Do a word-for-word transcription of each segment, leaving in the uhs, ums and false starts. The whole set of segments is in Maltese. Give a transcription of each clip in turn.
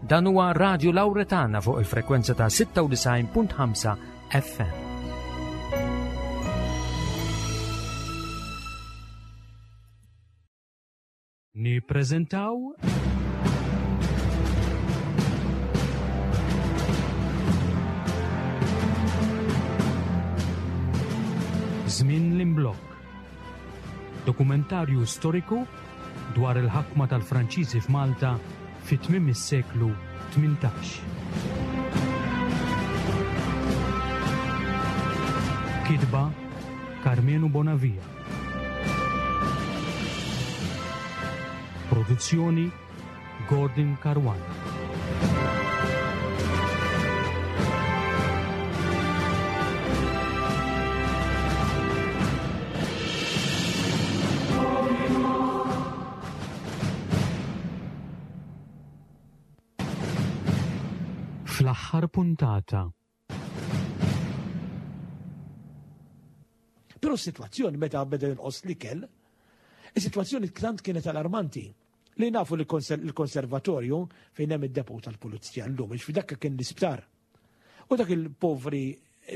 Dan huwa Radio Lauretana fuq il-frekwenza ta' sitta u disgħin punt ħamsa F M. Nippreżentaw Żmien l-Imblokk. Dokumentarju storiku dwar il-ħakma tal-Franċiżi f'Malta fi tmiem is-seklu tmintax. Kitba Karmenu Bonavia. Produzzjoni Gordon Caruana. Fl-aħħar puntata. Però s-sitwazzjoni meta beda jonqos l-ikel, is-sitwazzjoni tant kienet allarmanti li nafu li l-konservatorju fejn hemm id-depot tal-pulizija llum, fi dak kien l-isptar. U dak il-povri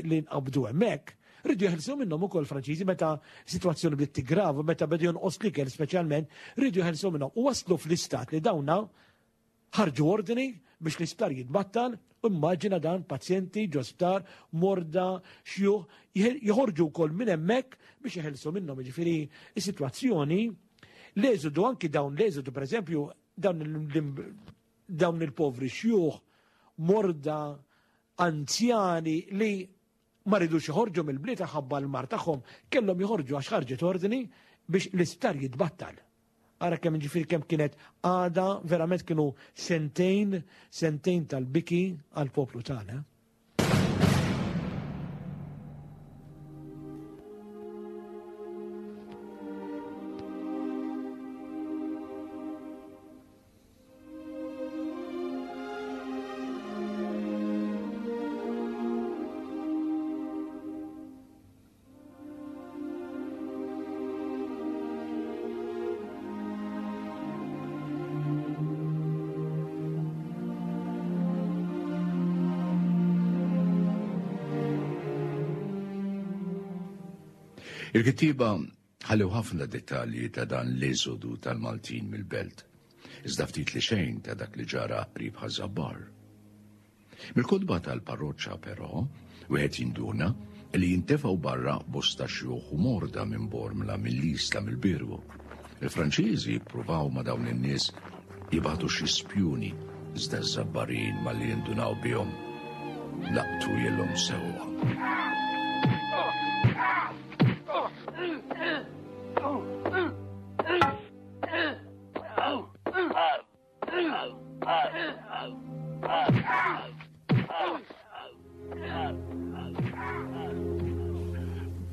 li nqabdu hemmhekk, rridu jeħilsu minnhom ukoll Franċiżi meta sitwazzjoni bdiet tigrava, meta beda jonqos l-ikel speċjalment, rridu jeħilsu minnhom. U waslu fl-istat li dawna ħarġu ordni biex l-isptar jitbattal. U immaġina dan, pazjenti ġo sptar, morda, xjuħ, joħorġu wkoll minn hemmhekk biex jeħilsu minnhom. Ġifieri is-sitwazzjoni, l-eżodu, anki dawn l-eżodu, pereżempju, dawn il-povri xjuħ, morda, anzjani li ma ridux joħorġu mill-bliet ħabba l-mard tagħhom, kellhom joħorġu għax ħarġet ordni biex l-isptar jitbattal. Ara kemm, ġifieri, kemm kienet għada, verament kienu sentejn, sentejn tal-biki għal-poplu tagħna. Il-kittieba ħallew ħafna dettalji ta' dan l-eżodu tal-Maltin mill-belt, iżda ftit li xejn ta' dak li ġara qrib Ħaż-Żabbar. Mill-kotba tal-parroċċa però, wieħed jinduna li jintefgħu barra bosta xjuħ u morda minn Bormla, mill-Isla, mill-Birgu. Il-Franċiżi jippruvaw ma' dawn in-nies jibagħtu xi spjuni, iżda ż-Żabbarin malli jindunaw bihom laqtu jillhom sewwa.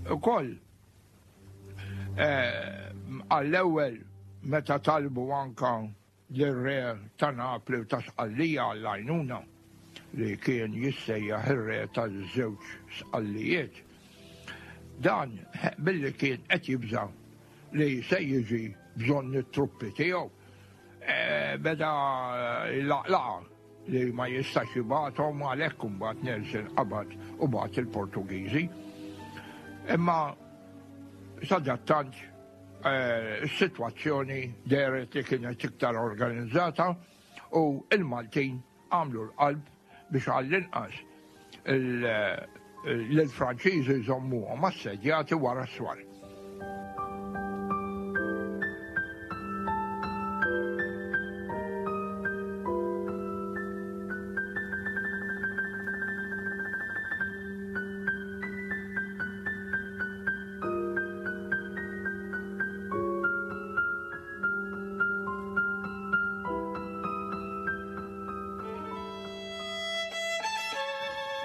Ukoll, għall-ewwel meta talbu anka l-re ta' Napli u ta' Sqallija għall-għajnuna, li kien jissejjaħ ir-re taż-żewġ Sqallijiet. Dan billi kien qed jibża li se jiġi bżonn it-truppi tiegħu, beda laqlaqa li ma jistax jibgħathom, għalhekk imbagħad Nelson qabad u bagħat il-Portugiżi. Imma sadattant is-sitwazzjoni dehret li kienet iktar organizzata u il-Maltin għamlu l-qalb biex għall-inqas l-Franċiżi jżommuhom assedjati wara s-swar.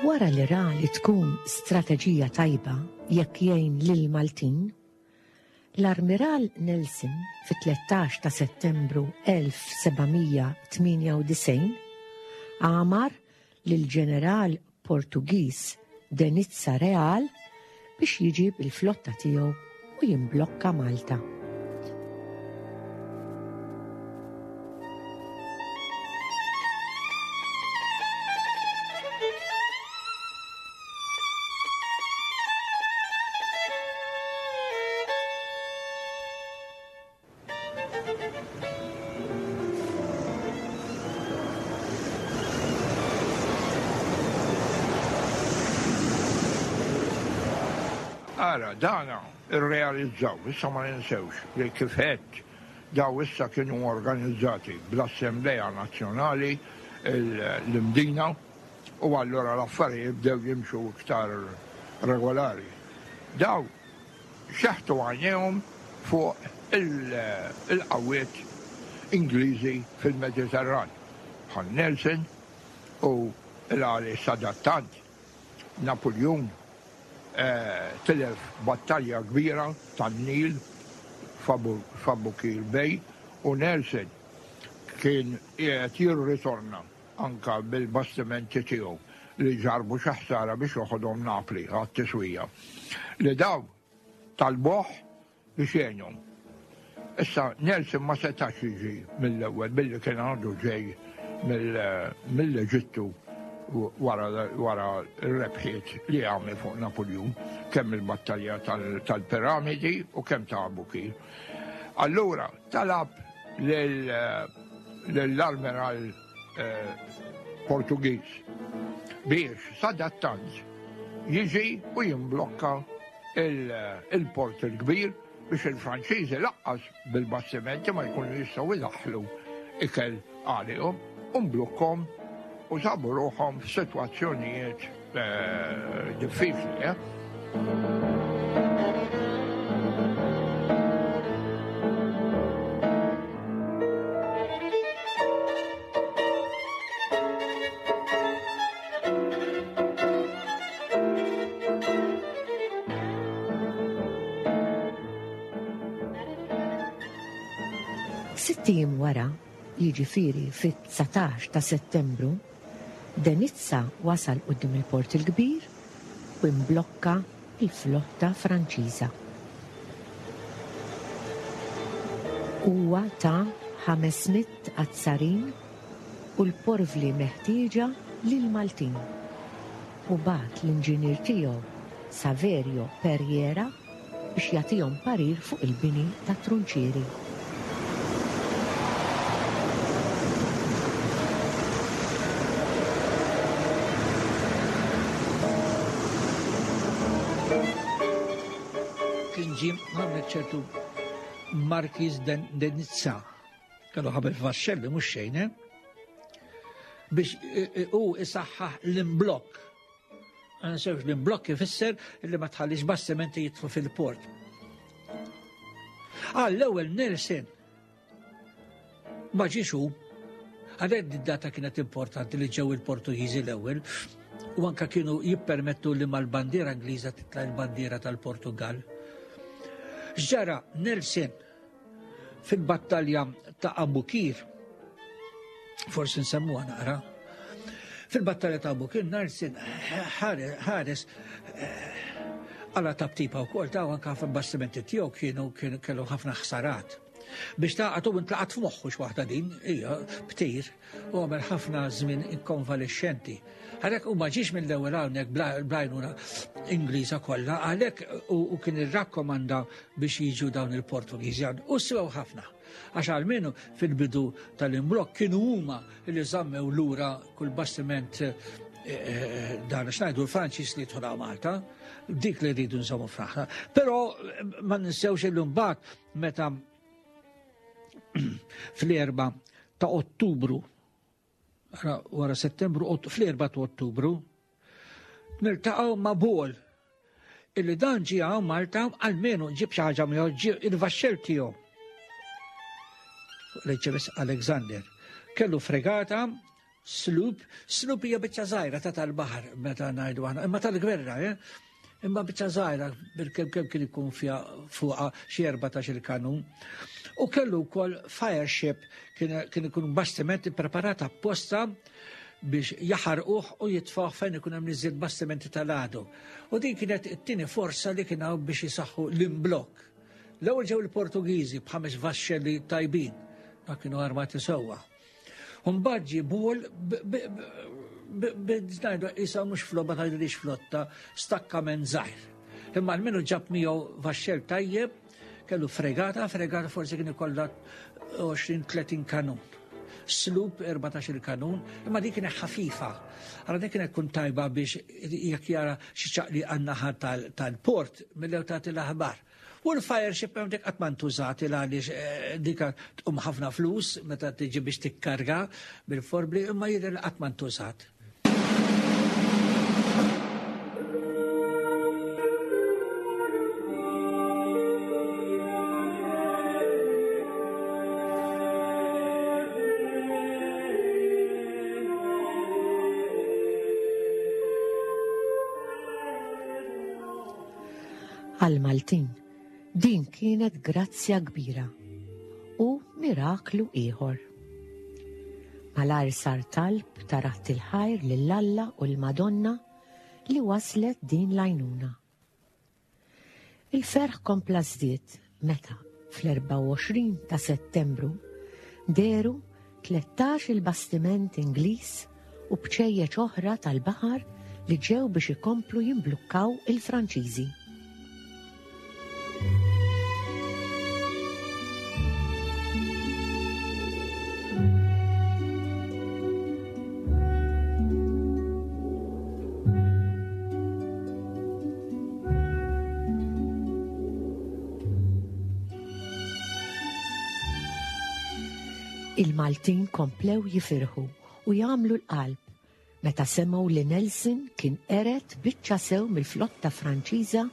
Wara li ra li tkun strateġija tajba jekk jgħin lil Maltin, l-Armiral Nelson fit-tlettax ta' Settembru elf seba' mija tmienja u disgħin amar lil ġeneral Portugiż de Nizza Real biex jiġi bil-flotta tiegħu u jimblokka Malta. Ara, dana irrealizzaw, issa ma ninsewx li kif għedt daw issa kienu organizzati bl-Assemblea Nazzjonali l-Imdina u allura l-affarijiet bdew jimxu iktar regolari. Daw xeħtu għajnejhom fuq il-qawwiet Ingliżi fil-Mediterran bħal Nelson u l-għali sadattant Napoleon tilef battalja kbira tan-Nil f'Abukir Bay u Nelson kien qiegħed jirritorna anka bil-bastimenti tiegħu li ġarbu xi ħsara biex joħodhom Napli għat-tiswija. Li daw talboh biex jgħinhom. Issa Nelson ma setax jiġi mill-ewwel billi kien għandu ġej mill-Eġittu wara r-rebħiet li għamel fuq Napoleon, kemm il-battalja tal-Piramidi u kemm ta' Abukir. Allura talab lill-Admiral Portugiż biex sadattant jiġi u jimblokka il-port il-kbir biex il-Franċiżi laqqas bil-bastimenti ma jkunu jistgħu jdaħħlu ikel għalihom u mblukkom u sabu ruħhom f'sitwazzjonijiet diffiċli. Sitt ijiem wara, jiġifieri fit-dsatax ta' Settembru, De Nizza wasal quddiem il-Port il-Kbir u imblokka il-flotta Franċiża. Huwa ta' ħames mitt azzarin u l-porvli meħtieġa lil Maltin u bagħat l-inġinier tiegħu Saverio Perriera biex jagħtihom parir fuq il-bini ta' trunċieri. Kien ġie għamlet ċertu Marquis de Nizza, kellu ħabel f'vaxxelli mhux xejn, eh? Biex hu isaħħaħ l-imblokk. Ma ninsewx l-imblokk ifisser li ma tħallix bastimenti jidħlu fil-port. Għall-ewwel Nelson ma ġiex hu. Għalhekk id-data kienet importanti li ġew il-Portugiżi l-ewwel u anka kienu jippermettu li mal-bandiera Ingliża titla' l-bandiera tal-Portugal. X'ġara Nelson fil-battalja ta' Abukir, forsi nsemmuha naqra, fil-battalja ta' Abukir Nelson ħares għala tabtipa u kol, ta' anka fil-bastimenti tiegħu kienu kellu ħafna ħsarat. Biex ta' għatu intlaqat f'moħħu x'waħda din, hija btir, u għamel ħafna żmien inkonvalescenti. Għalhekk u ma ġiex mill-ewwel hawnhekk bl-għajnuna Ingliża kollha, għalhekk u kien irrakkomanda biex jiġu dawn il-Portugiżi u sew ħafna. Għax għalmenu fil-bidu tal-imblokk kienu huma li żammew lura kull bastiment dan x'ngħidu l-Franċiż li jidħol Malta, dik li rridu nżommu fraħna. Però ma ninsewx illum mbagħad meta fl-erba ta' Ottubru, wara Settembru, fl-erba ta' Ottubru, niltaqgħu ma' Bol illi dan ġie hawn Malta għalmenu ġib xi ħaġa miegħu, ġie il-vaxxell tiegħu. L-H M S Alexander. Kellu fregata, sloop, sloop hija biċċa żgħira ta' tal-baħar meta ngħidu aħna, imma tal-gwerra, eh? Imma biċċa żgħira bil-kemm kemm kien ikun fiha fuqha xi erbatax il-kanun. U kellu wkoll fire ship, kien ikun bastiment ippreparat apposta biex jaħarquh u jitfgħuh fejn ikun hemm iżjed bastimenti tal-għadu. U din kienet it-tieni forza li kien hawn biex jisaħħu l-imblokk. L-ewwel ġew il-Portugiżi b'ħames vaxxelli tajbin, ma kienu armati sewwa. U mbagħad ġie Bol b'ngħidu isa mhux flotta, tgħidilix flotta, stakkament żgħir. Imma almenu ġab miegħu vaxxell tajjeb, kellu fregata, fregata forsi kien ikollha għoxrin tletin kanun. Sloop erbatax-il kanun, imma dik kienet ħafifa. Allora dik kienet tkun tajba biex jekk jara xi ċaqli għan-naħa tal-port mill-ewwel tagħti l-aħbar. U l-fireship hemm dik qatt ma ntużat għaliex dik tqum ħafna flus meta tiġi biex tikkarga bil-forbli, imma jidher li qatt ma ntużat. Għal-Maltin, din kienet grazzja kbira u miraklu ieħor. Malajr sar talb ta' ratt il-ħajr lil Alla u l-Madonna li waslet din l-għajnuna. Il-ferħ kompla żdied meta fl-erbgħa u għoxrin ta' Settembru deru tlettax il-bastiment Ingliż u bċejjeċ oħra tal-baħar li ġew biex ikomplu jimblukkaw il-Franċiżi. Il-Maltin komplew jifirħu u jagħmlu l-qalb meta semgħu li Nelson kien qered biċċa sew mill-flotta Franċiża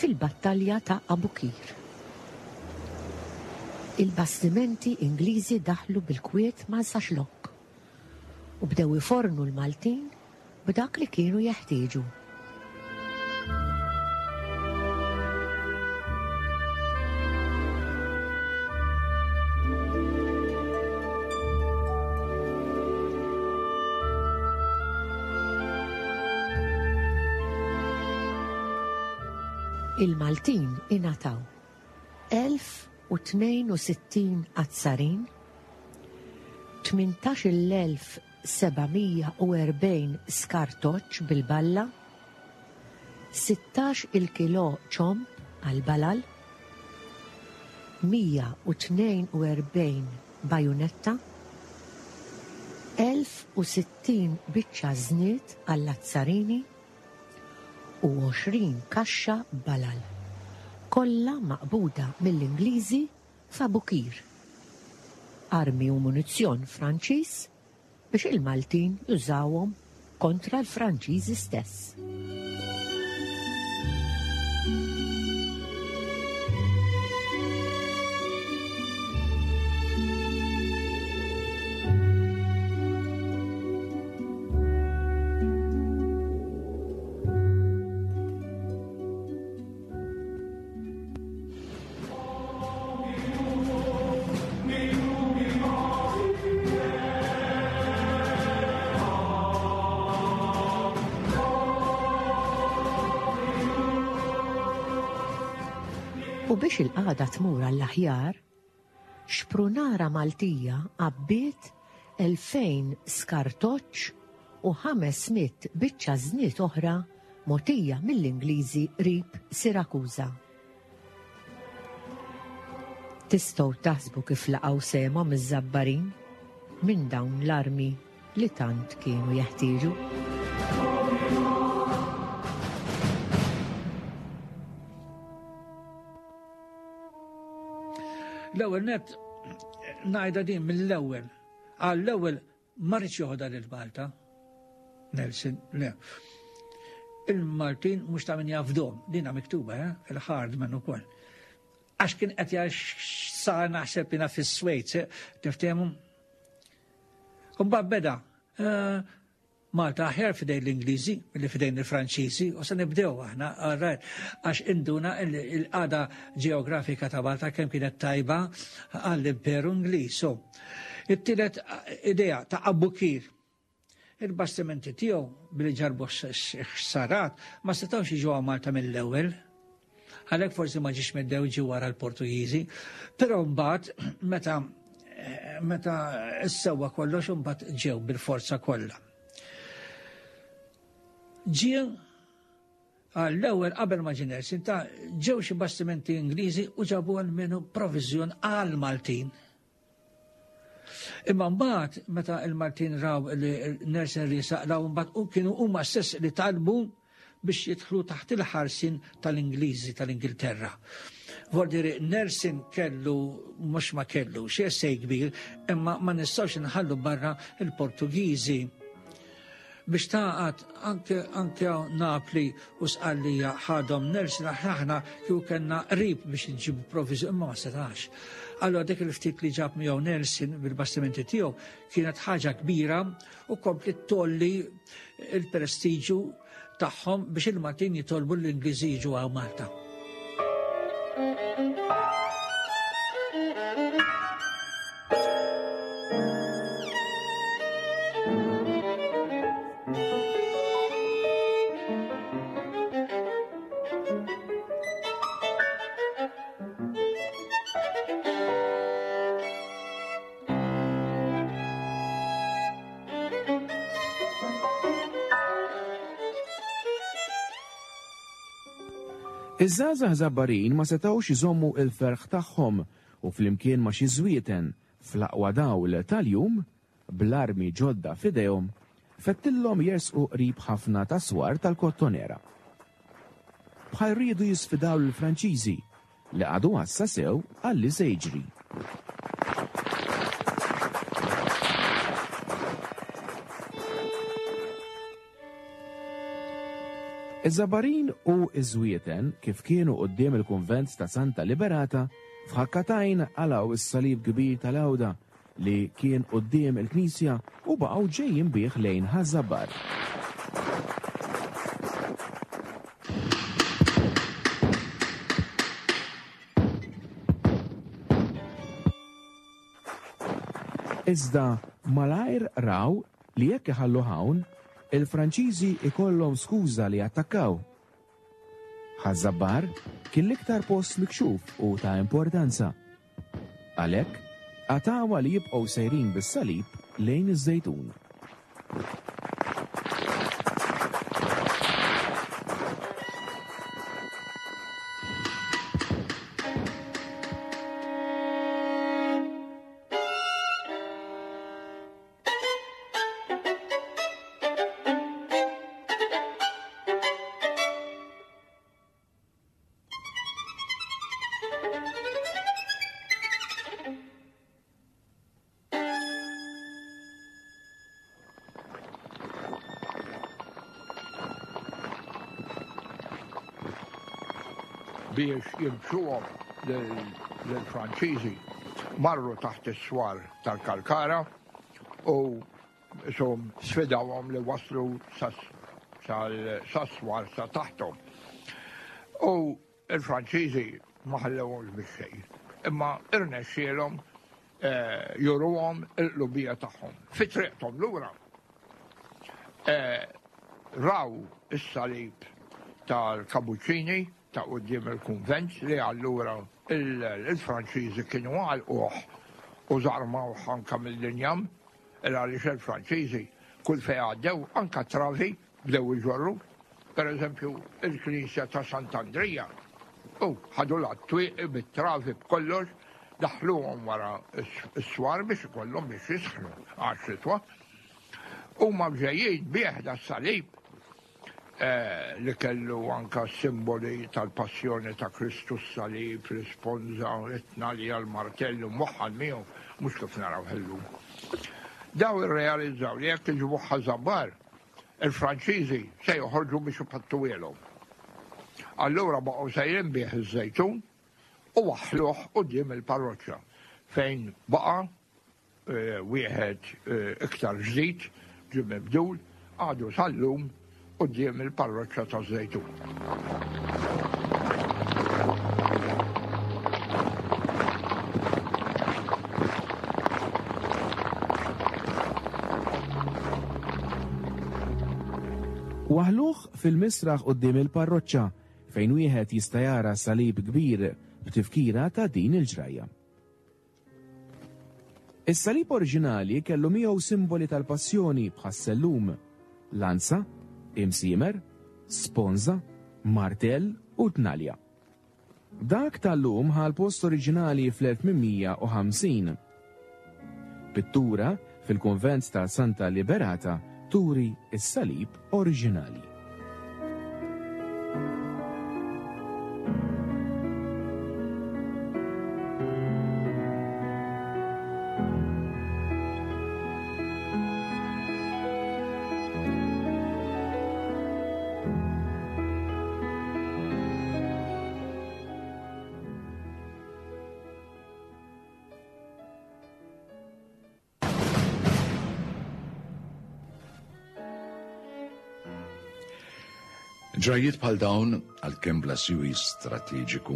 fil-battalja ta' Abukir. Il-bastimenti Ingliżi daħlu bil-kwiet ma' Saxlok u bdew ifornu l-Maltin b'dak li kienu jeħtieġu. Il-Maltin ingħataw elf u tnejn u sittin azzarin, tmintax-il elf seba' mija u erbgħin skartoċ bil-balla, sittax il kilo ċomb għal-balal, mija u tnejn u erbgħin bajunetta, elf u sittin biċċa żniet għall-azzarini u għoxrin kaxxa balal, kollha maqbuda mill-Ingliżi f'Abukir. Armi u munizzjon Franċiż biex il-Maltin jużawhom kontra l-Franċiżi stess. U biex il-qagħda tmur għall-aħjar, xprunara Maltija għabbiet elfejn skartoċ u ħames mitt biċċa żniet oħra mogħtija mill-Ingliżi qrib Sirakuża. Tistgħu taħsbu kif laqgħu sehemhom iż-Żabbarin minn dawn l-armi li tant kienu jeħtieġu. L-ewwel net ngħidha din mill-ewwel. Għall-ewwel ma rridx joħodha lil Malta. Nelson, le. Il-Maltin mhux ta' min jafdhom, dinha miktuba, eh? Il-Hardman ukoll. Għax kien qed jgħix sa naħseb jiena fis-Swejds, eh? Tiftehmu? U mbagħad beda, eh, Malta aħjar fidejn l-Ingliżi milli fidejn il-Franċiżi, u se nibdew aħna, all right, għax induna il-qagħda ġeografika ta' Malta kemm kienet tajba għall-Imperu Ingliż. So, it-tielet idea ta' Abukir. Il-bastimenti tiegħu billi ġarbu ħsarat ma setgħux jiġu għal Malta mill-ewwel. Għalhekk forsi ma ġiex mill-ewwel ġie wara l-Portugiżi, però mbagħad meta, meta ssewwa kollox imbagħad ġew bil-forza kollha. Ġie għall-ewwel qabel ma ġie Nelson ta' ġew xi bastimenti Ingliżi u ġabu għal minnu proviżjon għal Maltin. Imma mbagħad meta il-Maltin raw li Nelson riesaq raw mbagħad u kienu huma stess li talbu biex jidħlu taħt il-ħarsin tal-Ingliżi tal-Ingilterra. Voldiri Nelson kellu mhux ma kellu xi essej kbir, imma ma nistgħux inħallu barra il-Portugiżi. Biex taqgħad anke anke Napli u Sqallija ħadhom Nelson aħna kieku kellna qrib biex nġibu provviżi imma ma setax. Allora dik il-ftit li ġab miegħu Nelson bil-bastimenti tiegħu kienet ħaġa kbira u kompli tolli il-prestiġu tagħhom biex il-Maltin jitolbu l-Ingliżi jiġu għaw Malta. Iż-żgħażagħ Żabbarin ma setgħux iżommu il-ferħ tagħhom u flimkien ma' xi żwieten fl-aqwa dawl tal-jum, bl-armi ġodda f'idejhom, fettillhom jersqu qrib ħafna ta' swar tal-Kottonera. Bħal riedu jisfidaw lill-Franċiżi li qagħdu għassa sew għalli se jiġri. Iż-Żabbarin u iż-Żwieten kif kienu quddiem il-kunvent ta' Santa Liberata f'ħakkatajn qalgħu is-salib kbir tal-Għawda li kien quddiem il-knisja u baqgħu ġejjin bih lejn Ħaż-Żabbar. Iżda malajr raw li jekk iħallu hawn, il-Franċiżi ikollhom skuża li attakkaw. Ħaż-Żabbar kien l-iktar post mikxuf u ta' importanza. Għalhekk, qatgħuha li jibqgħu sejrin bis-salib lejn iż-Żejtun. Biex jimxuhom lill-Franċiżi marru taħt is-swar tal-Kalkara u sum sfidawhom li waslu sas-swar sa taħthom. U il-Franċiżi ma ħallewhomx biex xejn, imma irnexxielhom juruhom il-qlubija tagħhom. Fi triqthom lura raw is-salib tal-Kapuċċini ta' quddiem il-kunvent li allura il-Franċiżi kienu għalquh u żarmawh anke mill-injam, għaliex il-Franċiżi kull fejn għaddew anke travi bdew iġorru. Per eżempju, il-Knisja ta' Sant'Andrija u ħadu l-twieqi bit-travi b'kollox, daħluhom wara s-swar biex ikollhom biex jisħnu għax-xitwa. Huma ġejjin bih da salib li kellu anka simboli tal-passjoni ta' Kristu, s-salib, l-isponza, it-tnalja, l-martellu, moħħan miegħu, mhux kif naraw ħellum. Daw irrealizzaw li jekk iġibu Ħaż-Żabbar, il-Franċiżi se joħorġu biex ipattuwielhom. Allura baqgħu sejrin bih iż-Żejtun u waħħluh quddiem il-parroċċa fejn baqa' wieħed iktar ġdid ġie mibdul għadu sal-lum quddiem il-parroċċa taż-Żejtun. Waħluh fil-misraħ quddiem il-parroċċa fejn wieħed jista' jara salib kbir b'tifkira ta' din il-ġrajja. Is-salib oriġinali kellu miegħu simboli tal-passjoni bħas-sellum, lanza, imsiemer, sponza, martell u tnalja. Dak tal-lum ħa l-post oriġinali fl-elf tmien mija u ħamsin. Pittura fil-kunvent ta' Santa Liberata turi s-salib oriġinali. Ġrajiet bħal dawn, għalkemm bla siwi strateġiku,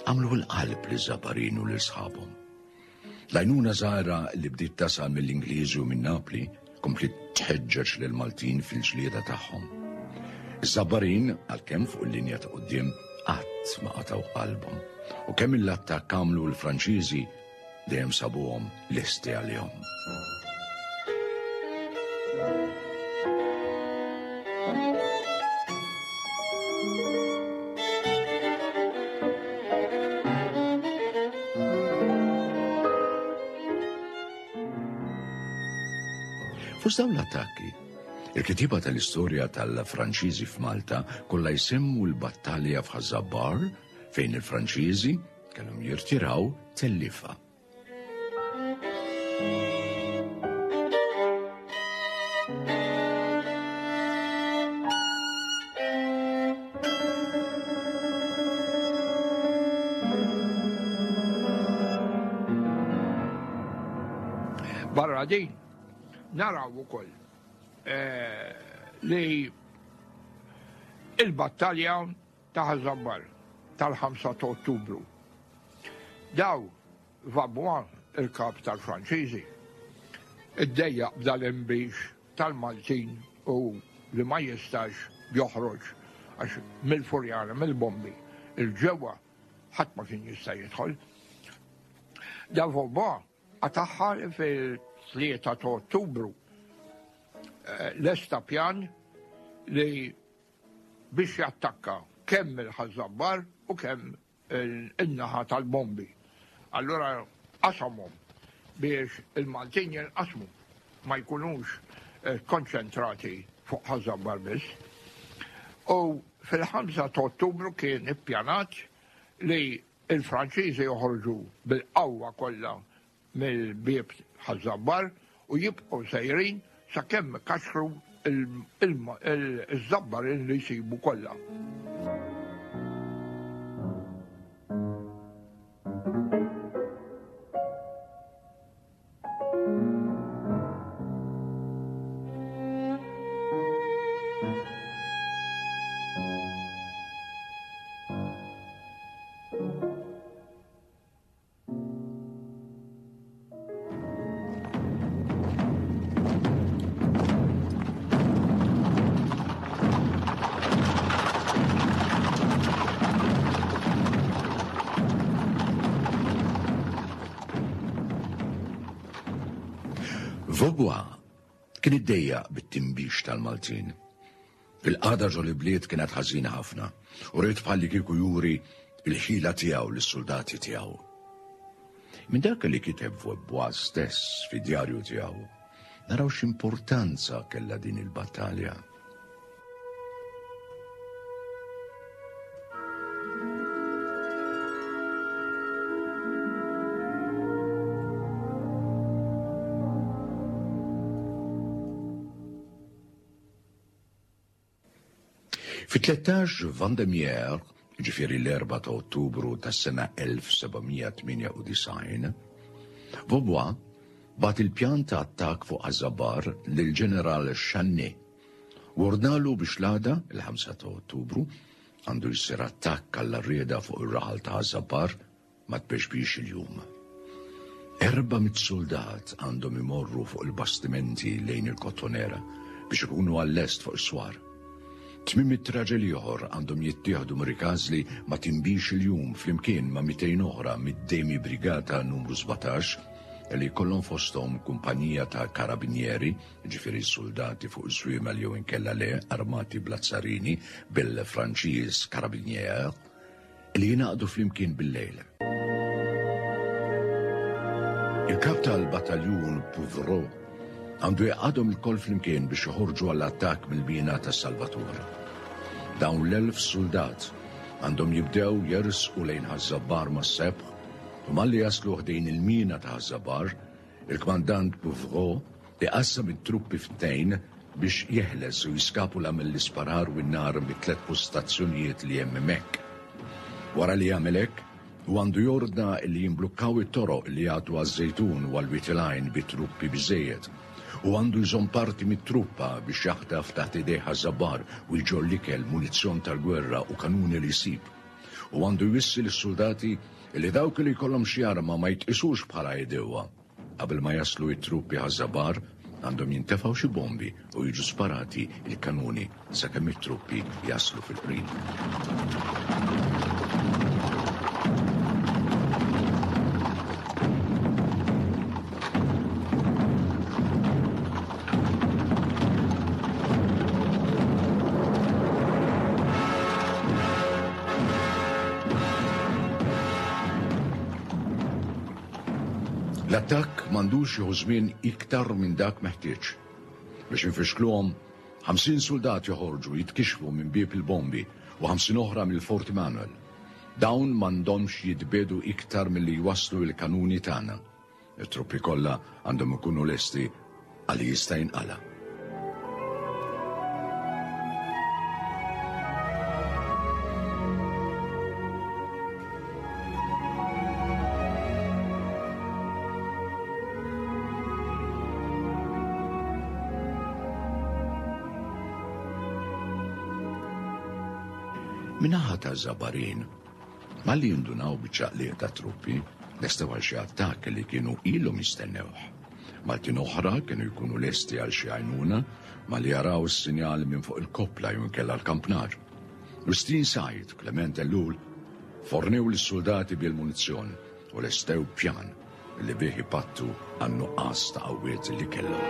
għamlu l-qalb li Żabbarin u lil sħabhom. L-għajnuna żgħira li bdiet tasal mill-Ingliżi u minn Napli kompliet tħeġġeġ lil Maltin fil-ġlieda tagħhom. Iż-Żabbarin, għalkemm fuq il-linja ta' quddiem, qatt ma qatgħu qalbhom u kemm il-attakk għamlu l-Franċiżi dejjem sabuhom lesti għalihom. Fost dawn l-attakki, il-kittieba tal-istorja tal-Franċiżi f'Malta kollha jsemmu l-battalja f'Ħaż-Żabbar fejn il-Franċiżi kellhom jirtiraw tellifa. Barra din, naraw ukoll eh, li il-battalja ta' Ħaż-Żabbar tal-ħamsa ta' Ottubru. Daw Vaubois, il-kap tal-Franċiżi, iddejjaq b'dal-imbix tal-Maltin u li ma jistax joħroġ għax mill-Furjana, mill-bombi, il-ġewwa ħadd ma kien jista' jidħol. Da Vaubois qatagħha fil-tlieta ta' Ottubru lesta pjan li biex jattakka kemm il-Ħaż-Żabbar u kemm in-naħa tal-bombi. Allura qasamhom biex il-Maltin jinqasmu, ma jkunux konċentrati fuq Ħaż-Żabbar biss. U fil-ħamsa ta' Ottubru kien ippjanat li il-Franċiżi joħorġu bil-qawwa kollha mill-bieb Ħaż-Żabbar u jibqgħu sejrin sakemm kaxru il-Żabbar li jsibu kollha. Vaubois kien iddejjaq bit-timbix tal-Maltin. Il-qagħda ġol bliet kienet ħażina ħafna u rrid bħalli kieku juri il-ħila tiegħu lis-soldati tiegħu. Minn dak li kiteb Vaubois stess fid-djarju tiegħu, naraw x'importanza kellha din il-battalja. Fi tlettax Vendémiaire, ġifieri l-erba' ta' Ottubru tas-sena elf seba' mija tmienja u disgħin, Vaubois bat il-pjan ta' attakk fuq Ħaż-Żabbar lill-ġeneral Channé u ordnalu biex l-għada, il-ħamsa ta' Ottubru, għandu jsir attakk għall-arrieda fuq ir-raħal ta' Ħaż-Żabbar ma tbexbix il-jum. Erba' mit soldat għandhom imorru fuq il-bastimenti lejn il-Kottonera biex ikunu għall-est fuq is-swar. Tmiem mitt raġel ieħor għandhom jittieħdu Rikażli ma timbix il-jum flimkien ma' mitejn oħra mid-Demi Brigata numru sbatax li jkollhom fosthom kumpanija ta' karabinieri, ġifieri soldati fuq iż-żwiemel jew inkella le armati bl-azzarini bil-Franċiż carabinier li jingħaqdu flimkien bil-lejl. Il-kap tal-bataljun Pouvreau għandu jgħaqqadhom ilkoll flimkien biex joħorġu għall-attakk mill-mina ta' Salvatore. Dawn l-elf soldat għandhom jibdew jersqu lejn Ħaż-Żabbar mas-sebħ u malli jaslu ħdejn il-mina ta' Ħaż-Żabbar, il-kmandant Pouvreau iqassam it-truppi f'tnejn biex jeħles u jiskapula mill-isparar u n-nar mit-tliet postazzjonijiet li hemm hemmhekk. Wara li jagħmel hekk, u għandu jordna li jimblukkaw it-toroq li jagħtu għaż-Żejtun u għal-Wied il-Għajn bi truppi biżejjed. U għandu jżomm parti mit-truppa biex jaħtaf taħt idejh Ħaż-Żabbar u jġorr l-ikel, munizzjon tal-gwerra u kanuni li jsib. U għandu jwissi lis-suldati li dawk li jkollhom xi arma ma jitqisux bħala għedewwa. Qabel ma jaslu t-truppi Ħaż-Żabbar, għandhom jintefgħu xi bombi u jiġu sparati il-kanuni sakemm it-truppi jaslu fil-qrib. L-attakk m'għandux jieħu żmien iktar minn dak meħtieġ. Biex infixkluhom, ħamsin soldat joħorġu jitkixfu minn bieb il-bombi u ħamsin oħra mill-Fort Emanuel. Dawn m'għandhomx jitbedu iktar milli jwasslu l-kanuni tagħna. It-truppi kollha għandhom ikunu lesti għal jista' jinqala'. Min-naħa taż-Żabbarin, malli jindunaw biċ-ċaqliq ta' truppi, lestew għal xi attakk li kienu ilhom jistennewh. Maltin oħra kienu jkunu lesti għal xi għajnuna malli jaraw is-sinjal minn fuq il-koppla jew inkella l-kampnar. Wistin Said u Clement Ellul fornew lis-soldati bil-munizzjon u lestew pjan li bih ipattu għan-nuqqas ta' qawwiet li kellhom.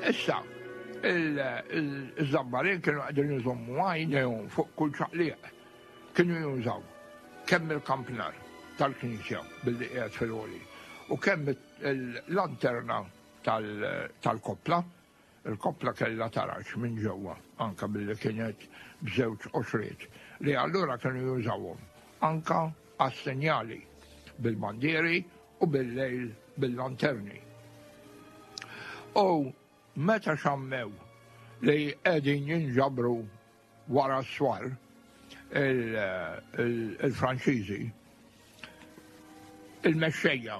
Issa, il-Żabbarin kienu qegħdin iżommu għajnejhom fuq kull ċaqliq. Kienu jużaw kemm il-kampnar tal-knisja billi qiegħed fil-għoli u kemm il-lanterna tal-koppla. Il-koppla kellha taraġ minn ġewwa anka billi kienet b'żewġ qoxriet li allura kienu jużawhom anka għas-sinjali bil-bandieri u bil-lejl bil-lanterni. U meta xammew li qegħdin jinġabru wara s-swar il-Franċiżi, il-mexxejja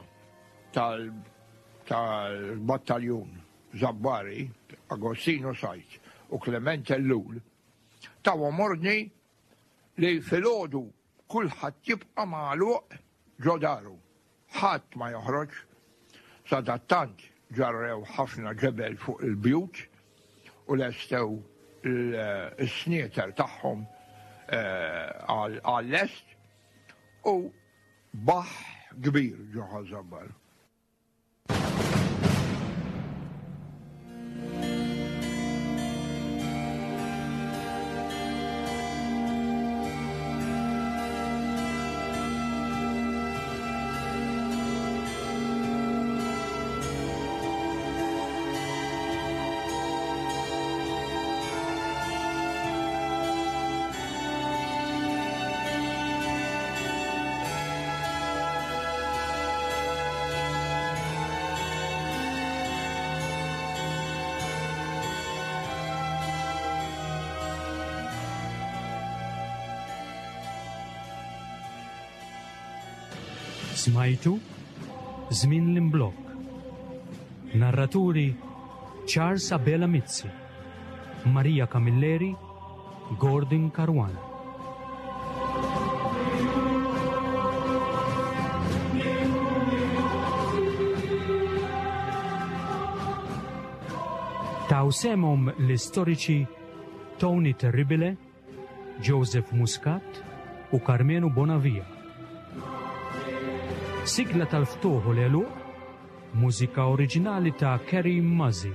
tal-battaljun Żabbari, Agostino Said u Clement Ellul, tawhom ordni li filgħodu kulħadd jibqa' magħluq ġo daru, ħadd ma joħroġ. Sadattant ġarrew ħafna ġebel fuq il-bjut u lestew il-snieter tagħhom għall-est u baħ kbir ġo Ħaż-Żabbar. Smajtu Żmien l-Imblokk. Narraturi Charles Abela Mizzi, Maria Camilleri, Gordon Caruana. Taw semhom l-istoriċi Tony Terribile, Joseph Muscat u Carmenu Bonavia. Sigla tal-ftuħ u l-għeluq, mużika oriġinali ta' Kerry Muzzy.